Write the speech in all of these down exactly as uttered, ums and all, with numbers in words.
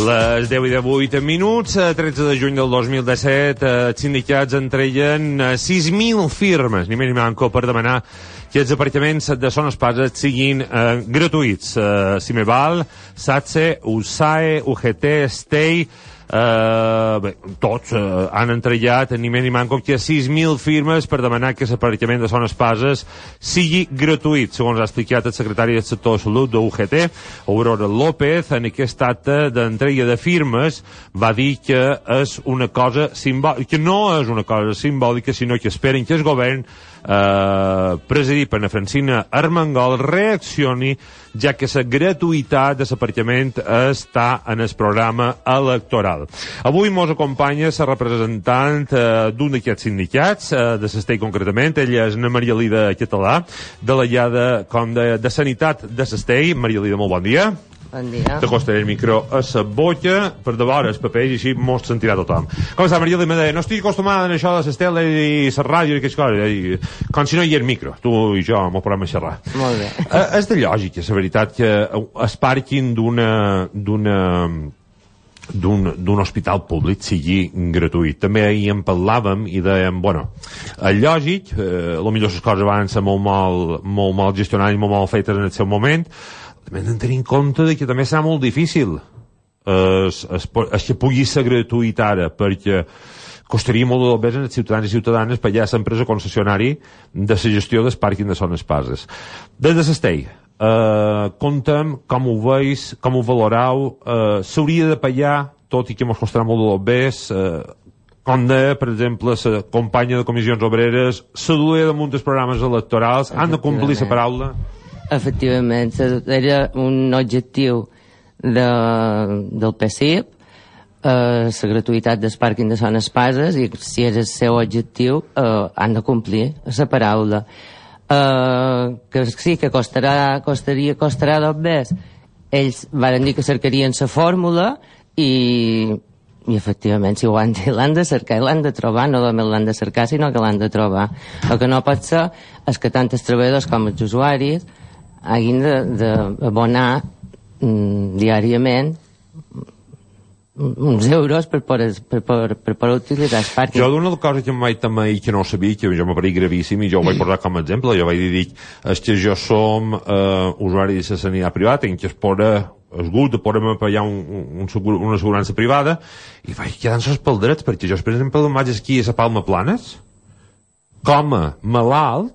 Les deu i divuit minuts, tretze de juny del dos mil disset, els sindicats entreien sis mil firmes, ni més ni manco, per demanar que els aparcaments de Son Espases siguin eh, gratuïts. Eh, si me val, SATSE, U S A E, U G T, STEI, Uh, bé, tots uh, han entrellat ni més ni manco que sis mil firmes per demanar que l'aparcament de Son Espases sigui gratuït, segons ha explicat el secretari del sector de salut de U G T, Aurora López. En aquest acte d'entrega de firmes va dir que és una cosa simbòlica, que no és una cosa simbòlica, sinó que esperen que el govern eh, presidit per Francina Armengol reaccioni, ja que la gratuïtat de l'aparcament està en el programa electoral. Avui mos acompanya la representant eh, d'un d'aquests sindicats, eh, de l'Estei concretament. Ella és Maria Lida Català, delegada com de, de Sanitat de l'Estei. Maria Lida, molt bon dia. Bon dia. T'acostaré el micro a la boca per de vora els papers i així mos sentirà tothom. Com està, Maria Lida? No estic acostumada a això de les teles i la ràdio i aquestes coses, i, com si no hi ha el micro. Tu i jo mos podem xerrar. Molt bé. Eh, és de lògica, la veritat, que es parquin d'una d'una d'un, d'un hospital públic sigui gratuït. També ahir en parlàvem i dèiem, bueno, és lògic, eh, potser les coses van ser molt mal, molt mal gestionades i molt mal fetes en el seu moment. També hem de tenir en compte que també serà molt difícil es, es, es que pugui ser gratuït ara, perquè costaria molt de més als ciutadans i ciutadanes pagar l'empresa concessionari de la gestió del pàrquing de Son Espases. Des de l'Estei, eh, contem com ho veus, com ho valoreu, eh, s'hauria de pagar, tot i que mos costarà molt de més, eh, com deia, per exemple, la companya de Comissions Obreres, la duia damunt dels programes electorals, han de complir la paraula? Efectivament, era un objectiu de, del P S I P, eh, la gratuïtat del pàrquing de Son Espases, i si és el seu objectiu, eh, han de complir la paraula. Eh, que sí, que costarà, costaria, costarà dos més. Ells van dir que cercarien la fórmula i, i efectivament, si ho han dit, l'han de cercar i l'han de trobar, no només l'han de cercar, sinó que l'han de trobar. El que no pot ser és que tant els treballadors com els usuaris hagin d'abonar mm, diàriament uns euros per poder, per, per, per poder utilitzar el pàrquing. Jo d'una cosa que em vaig també que no sabia, que jo m'apareix gravíssim i jo ho vaig posar com a exemple, jo vaig dir és que jo som eh, usuari de la sanitat privada, en què es poda és gut de poder-me pagar un, un, un, una assegurança privada, i vaig quedant-se els drets, perquè jo, per exemple, em vaig aquí a la Palma Planes com a malalt,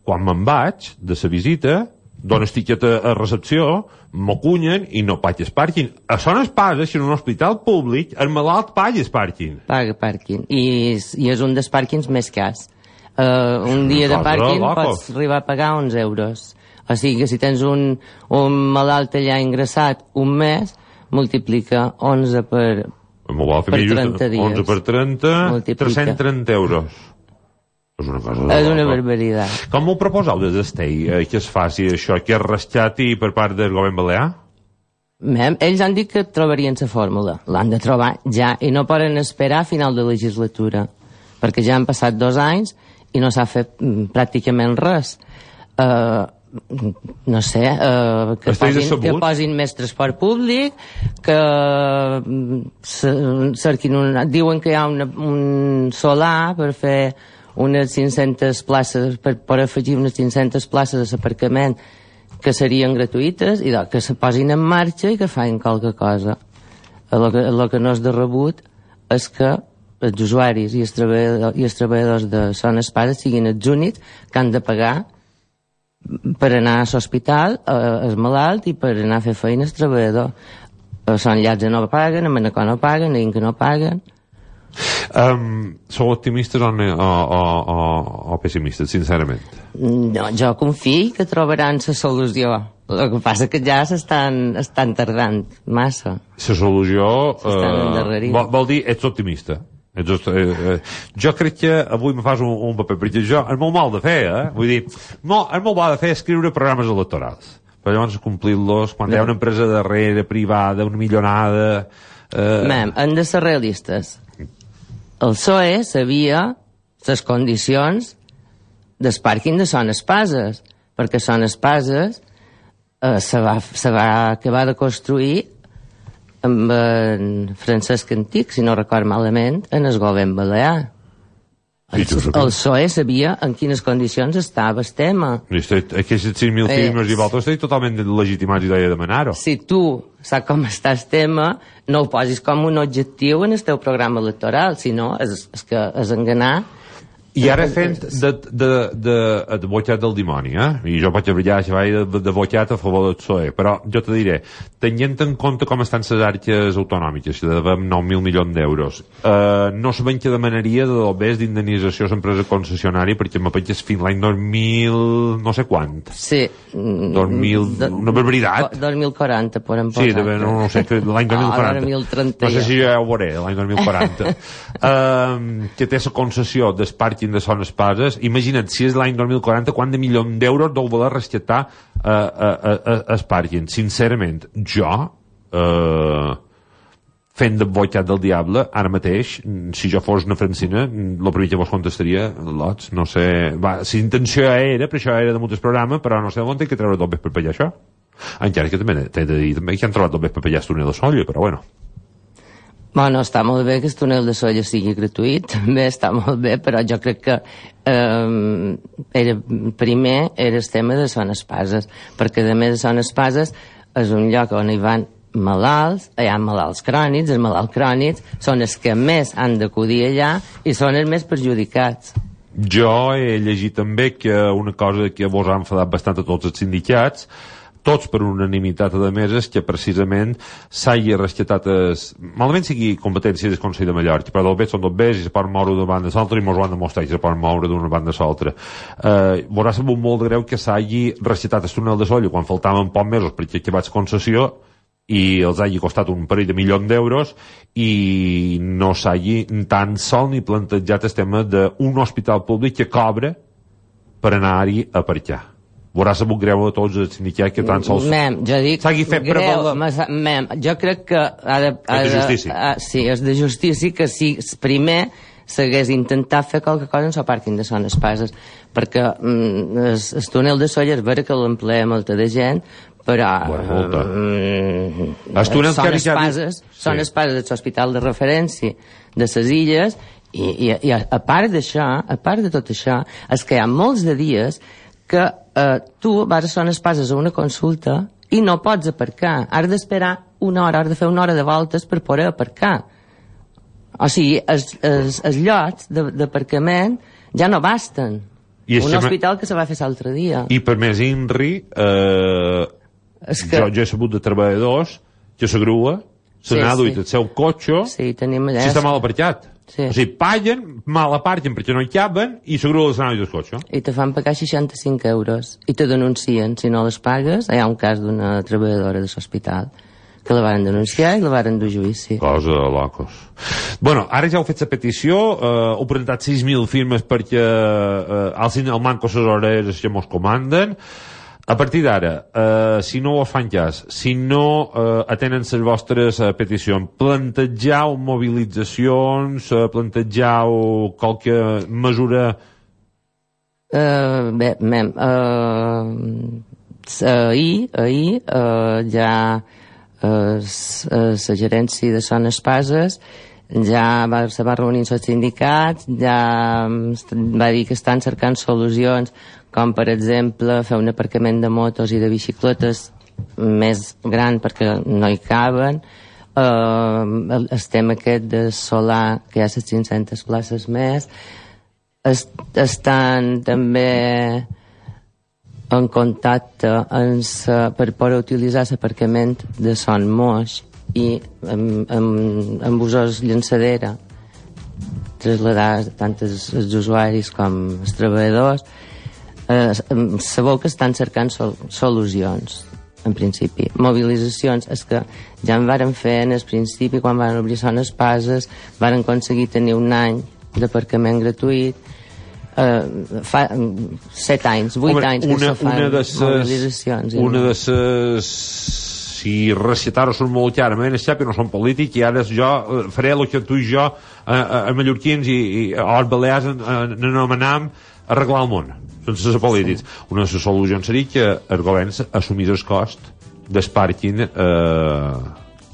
quan me'n vaig de la visita, dones tiquet a, a recepció, m'acunyen i no pagues pàrquing. A Son Espases, si en un hospital públic, el malalt pagues pàrquing. Paga pàrquing. I, i és un dels pàrquings més cars. Uh, un dia de pàrquing pots arribar a pagar onze euros. O sigui que si tens un, un malalt allà ingressat un mes, multiplica onze per, per trenta dies. onze per trenta, tres-cents trenta euros. És una cosa de és una barbaritat. Com ho proposeu des d'Estei, eh, que es faci això, que es rescati per part del govern balear? Mem, ells han dit que trobarien la fórmula. L'han de trobar ja, i no poden esperar a final de legislatura, perquè ja han passat dos anys i no s'ha fet mm, pràcticament res. Uh, no sé, uh, que, posin, que posin més transport públic, que mm, cerquin un, diuen que hi ha una, un solar per fer unes cinc-centes places, per poder afegir unes cinc-centes places d'aparcament que serien gratuïtes, i que se posin en marxa i que facin qualque cosa. El que, el que no és de rebut és que els usuaris i els treballadors, i els treballadors de Son Espases siguin els únics que han de pagar per anar a l'hospital, al malalt, i per anar a fer feina al treballador. A Son Llàtzer no paguen, a Manacor no paguen, a Inca no paguen. Um, sou optimistes o, o, o, o pessimistes, sincerament? No, jo confio que trobaran la solució. El que passa que ja s'estan estan tardant massa. La solució eh, vol, vol dir, ets optimista. Ets, eh, eh, jo crec que avui me fas un, un paper, perquè jo, és molt mal de fer, eh? Vull dir, no, és molt mal de fer escriure programes electorals. Però llavors complir-los, quan hi ha una empresa darrere, privada, una millonada... Eh... Mem, hem de ser realistes. El P S O E sabia les condicions del pàrquing de Son Espases, perquè Son Espases eh, se, va, se va acabar de construir amb en Francesc Antic, si no record malament, en el govern balear. El, el P S O E sabia en quines condicions estava el tema. Aquests sis mil firmes i vosaltres estic totalment legitimats i de demanar-ho. Si tu saps com està el tema, no ho posis com un objectiu en el teu programa electoral, sinó és, és que és enganar. I ara fent de, de, de, de boiat del dimoni, eh? I jo vaig brillar de, de boiat a favor del P S O E, però jo te diré, tenint en compte com estan les arques autonòmiques, que devem nou mil milions d'euros, eh, no sabem què demanaria de l'obès d'indemnització a l'empresa concessionària, perquè me penses fins l'any dos mil no sé quant. Sí. dos mil, una barbaritat. dos mil quaranta, podem posar. Sí, de, no, no sé, l'any dos mil quaranta. dos mil trenta. No sé si ja ho veuré, l'any dos mil quaranta. uh, que té la concessió del pàrquing de Son Espases. Imagina't, si és l'any dos mil quaranta, quant de milions d'euros deu voler rescatar uh, uh, uh, el pàrquing. Sincerament, jo, uh, fent de boicat del diable, ara mateix, si jo fos una francina, el primer que vos contestaria, lots, no sé... Va, si intenció era, per això era de molts programes, però no sé on té que treure tot bé per pallar això. Encara que també t'he de dir també que han trobat tot bé per pallar el túnel de Sóller, però bueno... Bueno, està molt bé que el túnel de Sóller sigui gratuït, també està molt bé, però jo crec que eh, era, primer era el tema de Son Espases, perquè a més de Son Espases és un lloc on hi van malalts, hi ha malalts crònics, els malalts crònics són els que més han d'acudir allà i són els més perjudicats. Jo he llegit també que una cosa que vos ha enfadat bastant a tots els sindicats, tots per unanimitat de meses, que precisament s'hagi rescatat es... malament sigui competència del Consell de Mallorca, però del bé són dos bés i se poden moure d'una banda a l'altra i mos ho han demostrat que se poden moure d'una banda a l'altra. Eh, vos ha sabut molt de greu que s'hagi rescatat el túnel de Sóller quan faltaven pocs mesos perquè acabats concessió i els hagi costat un parell de milions d'euros i no s'hagi tan sol ni plantejat el tema d'un hospital públic que cobra per anar-hi a parcar. Haurà sabut greu a tots els sindicats que tan sols mem, jo dic, s'hagi fet greu, mem, jo crec que ha de, ha és de justícia ha, sí, és de justícia que si primer s'hagués intentat fer qualque cosa en el pàrquing de Son Espases, perquè mm, el, el túnel de Sóller és vera que l'emplea molta de gent, però bueno, mm, Son Espases Son Espases és l'hospital de referència de les illes i, i, i a, a part d'això, a part de tot això, és que hi ha molts de dies que eh, tu vas a Son Espases a una consulta i no pots aparcar. Has d'esperar una hora, has de fer una hora de voltes per poder aparcar. O sigui, els, els, els llocs d'aparcament ja no basten. I un hospital que se va fer l'altre dia. I per més INRI, eh, que... jo, jo he sabut de treballadors que la grua se n'ha duit el seu cotxe sí, tenim allà... si està mal aparcat. Sí. O sigui, paguen, mal aparquen perquè no hi caben i la grua se n'ha duit el cotxe. I te fan pagar seixanta-cinc euros i te denuncien. Si no les pagues, hi ha un cas d'una treballadora de l'hospital que la van denunciar i la van dur a judici. Cosa de locos. Bueno, ara ja heu fet la petició, eh, heu presentat sis mil firmes perquè eh, el, el manco les hores que mos comanden. A partir d'ara, eh, si no ho fan cas, si no eh, atenen les vostres eh, peticions, plantejau mobilitzacions, eh, plantejau qualque mesura... Uh, bé, mem, uh, ahir, ahir uh, ja uh, la gerència de Son Espases ja va, se va reunir amb els sindicats, ja va dir que estan cercant solucions com per exemple fer un aparcament de motos i de bicicletes més gran perquè no hi caben, uh, el, el tema aquest de solar, que hi ha les cinc-centes places més, est, estan també en contacte amb sa, per poder utilitzar l'aparcament de Son Moix i amb, amb, amb usos llançadera traslladar tant els, els usuaris com els treballadors. Eh, sabeu que estan cercant sol, solucions en principi, mobilitzacions és que ja en varen fer en el principi quan van obrir Son Espases varen aconseguir tenir un any d'aparcament gratuït, eh, fa set anys, vuit Home, anys que una, se fan una de ses, mobilitzacions una de ses si recitar-ho són molt clarament és que no són polítics i ara jo faré el que tu i jo a, a, a mallorquins i, i als balears n'anomenam arreglar el món sense ser polítics. Sí. Una de les solucions seria que el govern assumís el cost del pàrquing eh,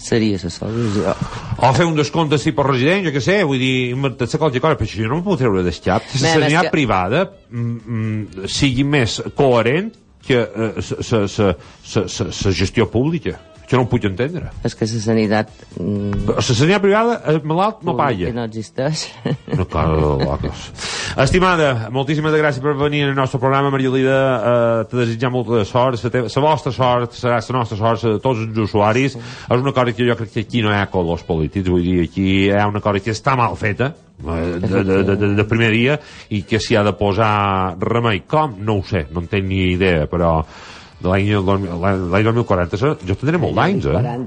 seria la solució. O fer un descompte si per resident, jo què sé, vull dir, inventar-se qualseva cosa, però això no m'ho puc treure del cap. La sanitat que... privada mm, mm, sigui més coherent que la gestió pública. Això no ho puc entendre. És que la sanitat... La sanitat privada, el malalt no palla. Que no existeix. No, clar, locos. Estimada, moltíssimes gràcies per venir al nostre programa, Mariolida. Eh, te desitjar molta sort. La vostra sort serà la nostra sort, de tots els usuaris. Sí. És una cosa que jo crec que aquí no hi ha colors polítics, vull dir, aquí hi ha una cosa que està mal feta, de, de, de, de, de primer dia, i que s'hi ha de posar remei. Com? No ho sé, no en tenc ni idea, però... l'any dos mil quaranta jo tindré molt d'anys, eh? L'any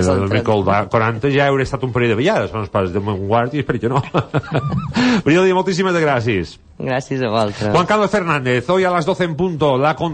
dos mil quaranta ja hauré estat un parell de vegades, són els pares de Montguard i espero que no. Mariolida, moltíssimes gràcies. Gràcies a vosaltres. Juan Carlos Fernández, hoy a las doce en punto, la